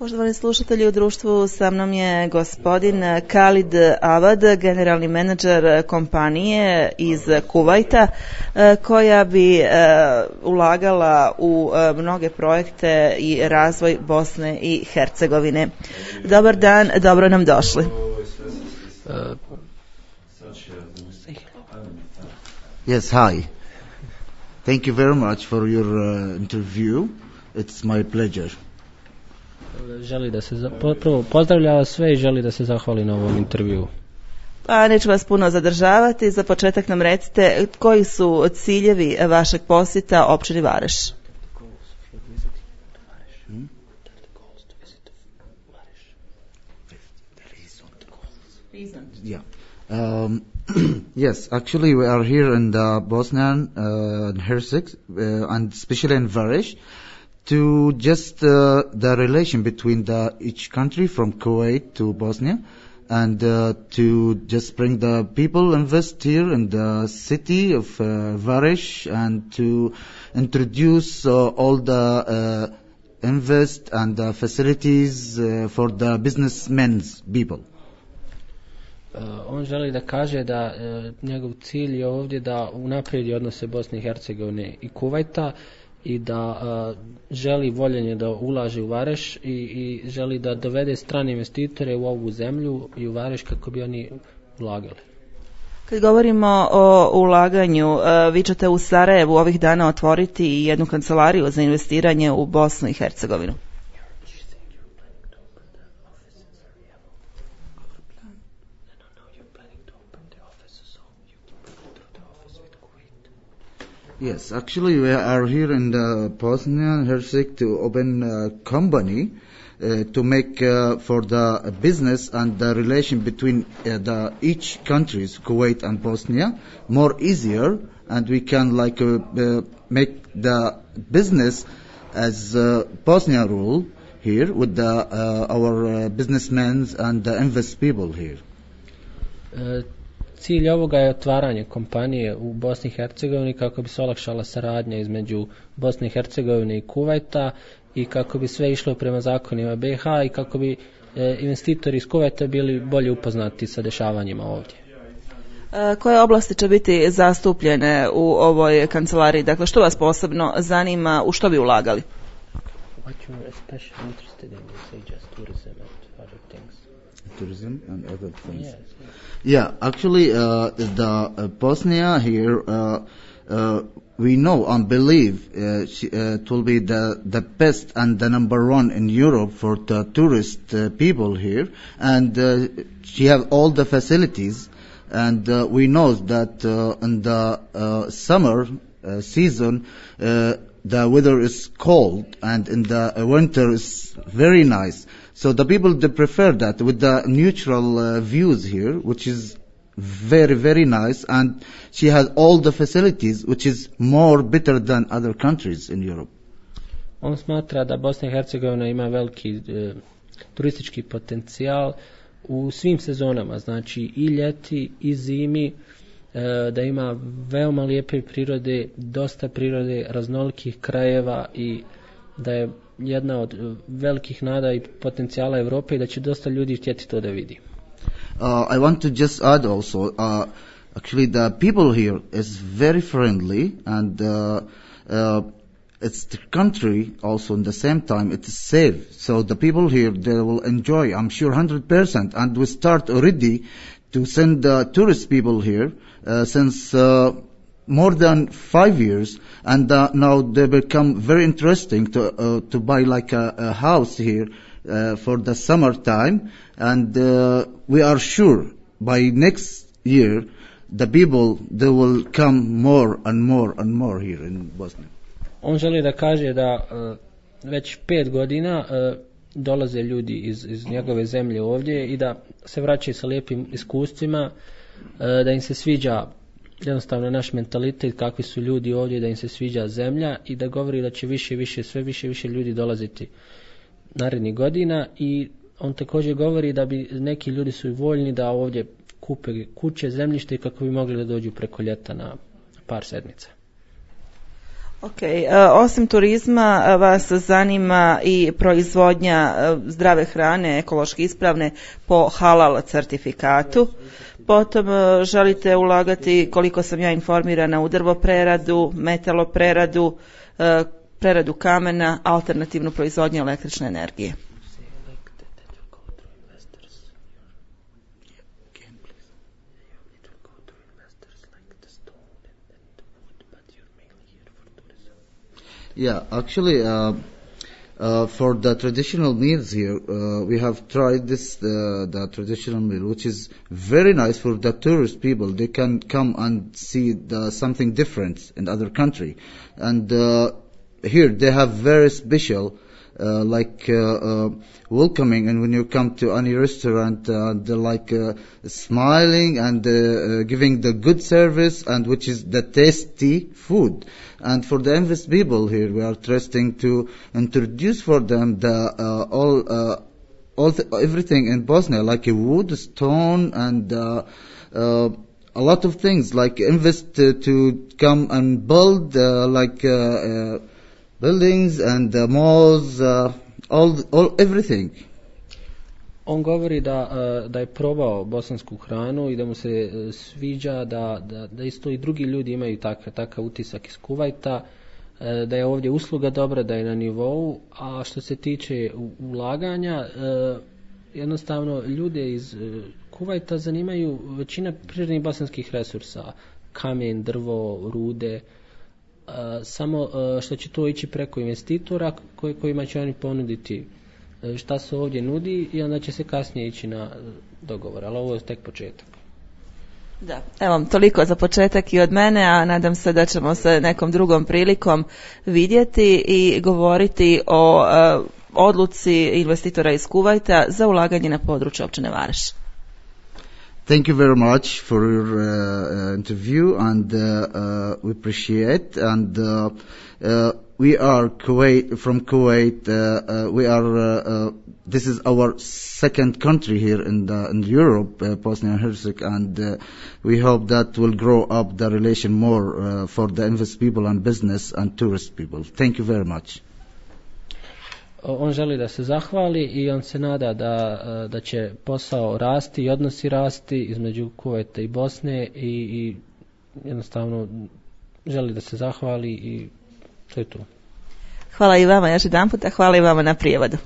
Poštovani slušatelji, u društvu sa mnom je gospodin Khalid Awad, generalni menadžer kompanije iz Kuvajta, koja bi ulagala u mnoge projekte i razvoj Bosne i Hercegovine. Dobar dan, dobro nam došli. Yes, hi. Thank you very much for your interview. It's my pleasure. Želi da se prvo pozdravlja vas sve i želi da se zahvali na ovom intervjuu. Pa neću vas puno zadržavati. Za početak nam recite koji su ciljevi vašeg posjeta općini Vareš. Yeah. Yes, actually we are here in the Bosnia and Herzegovina, and especially in Vareš, to just the relation between each country from Kuwait to Bosnia, and to just bring the people invest here in the city of Vareš, and to introduce all the invest and the facilities for the businessmen's people. On želi da kaže da njegov cilj je ovdje da unaprijedi odnose Bosne i Hercegovine i Kuvajta i da želi voljenje da ulaže u Vareš i želi da dovede strane investitore u ovu zemlju i u Vareš kako bi oni ulagali. Kad govorimo o ulaganju, vi ćete u Sarajevu ovih dana otvoriti jednu kancelariju za investiranje u Bosnu i Hercegovinu. Yes, actually we are here in the Bosnia and Herzegovina to open a company to make for the business and the relation between each countries, Kuwait and Bosnia, more easier, and we can make the business as Bosnia rule here with our businessmen and the invest people here. Cilj ovoga je otvaranje kompanije u Bosni i Hercegovini kako bi se olakšala saradnja između Bosne i Hercegovine i Kuvajta i kako bi sve išlo prema zakonima BiH i kako bi investitori iz Kuvajta bili bolje upoznati sa dešavanjima ovdje. Koje oblasti će biti zastupljene u ovoj kancelariji? Dakle, što vas posebno zanima, u što bi ulagali? Tourism and other things. Yeah, actually, the Bosnia here, we know and believe it will be the best and the number one in Europe for the tourist people here, and she have all the facilities, and we know that in the summer season the weather is cold, and in the winter is very nice. So the people, they prefer that with the neutral views here, which is very, very nice, and she has all the facilities, which is more better than other countries in Europe. On smatra da Bosna i Hercegovina ima veliki turistički potencijal u svim sezonama, znači i ljeti i zimi, da ima veoma lijepe prirode, dosta prirode, raznolikih krajeva i da je jedna od velikih nada i potencijala Europe i da će dosta ljudi htjeti to da vidi. I want to just add also, actually the people here is very friendly, and it's the country also in the same time it is safe. So the people here, they will enjoy, I'm sure 100%, and we start already to send the tourist people here since more than 5 years, and now they become very interesting to buy like a house here for the summer time, and we are sure by next year the people, they will come more and more and more here in Bosnia. On želi da kaže da već 5 godina dolaze ljudi iz njegove zemlje ovdje i da se vraćaju sa lijepim iskustvima, da im se sviđa jednostavno naš mentalitet, kakvi su ljudi ovdje, da im se sviđa zemlja i da govori da će sve više ljudi dolaziti narednih godina. I on također govori da bi neki ljudi su voljni da ovdje kupe kuće, zemljište kako bi mogli da dođu preko ljeta na par sedmica. Ok, osim turizma vas zanima i proizvodnja zdrave hrane, ekološki ispravne po halal certifikatu. Potom želite ulagati, koliko sam ja informirana, u drvopreradu, metalopreradu, preradu kamena, alternativnu proizvodnju električne energije. Yeah, actually, for the traditional meals here, we have tried this, the traditional meal, which is very nice for the tourist people. They can come and see something different in other country. And here they have very special, welcoming, and when you come to any restaurant, they're smiling and giving the good service, and which is the tasty food. And for the Invest people here, we are trusting to introduce for them everything in Bosnia, like a wood, stone, and a lot of things, like Invest to come and build buildings and malls, everything. On govori da je probao bosansku hranu i da mu se sviđa, da isto i drugi ljudi imaju takav utisak iz Kuvajta, da je ovdje usluga dobra, da je na nivou, a što se tiče ulaganja, jednostavno ljude iz Kuvajta zanimaju većina prirodnih bosanskih resursa, kamen, drvo, rude, samo što će to ići preko investitora kojima će oni ponuditi šta se ovdje nudi i onda će se kasnije ići na dogovor, ali ovo je tek početak. Da, evo, toliko za početak i od mene, a nadam se da ćemo se nekom drugom prilikom vidjeti i govoriti o odluci investitora iz Kuvajta za ulaganje na području općine Vareš. Thank you very much for your interview, and we appreciate. And we are from Kuwait. We are. This is our second country here in Europe, Bosnia and Herzegovina, and we hope that will grow up the relation more for the Invest people and business and tourist people. Thank you very much. On želi da se zahvali i on se nada da će posao rasti i odnosi rasti između Kuvajta i Bosne i jednostavno želi da se zahvali i to je to. Hvala i vama još jedan puta, hvala i vama na prijevodu.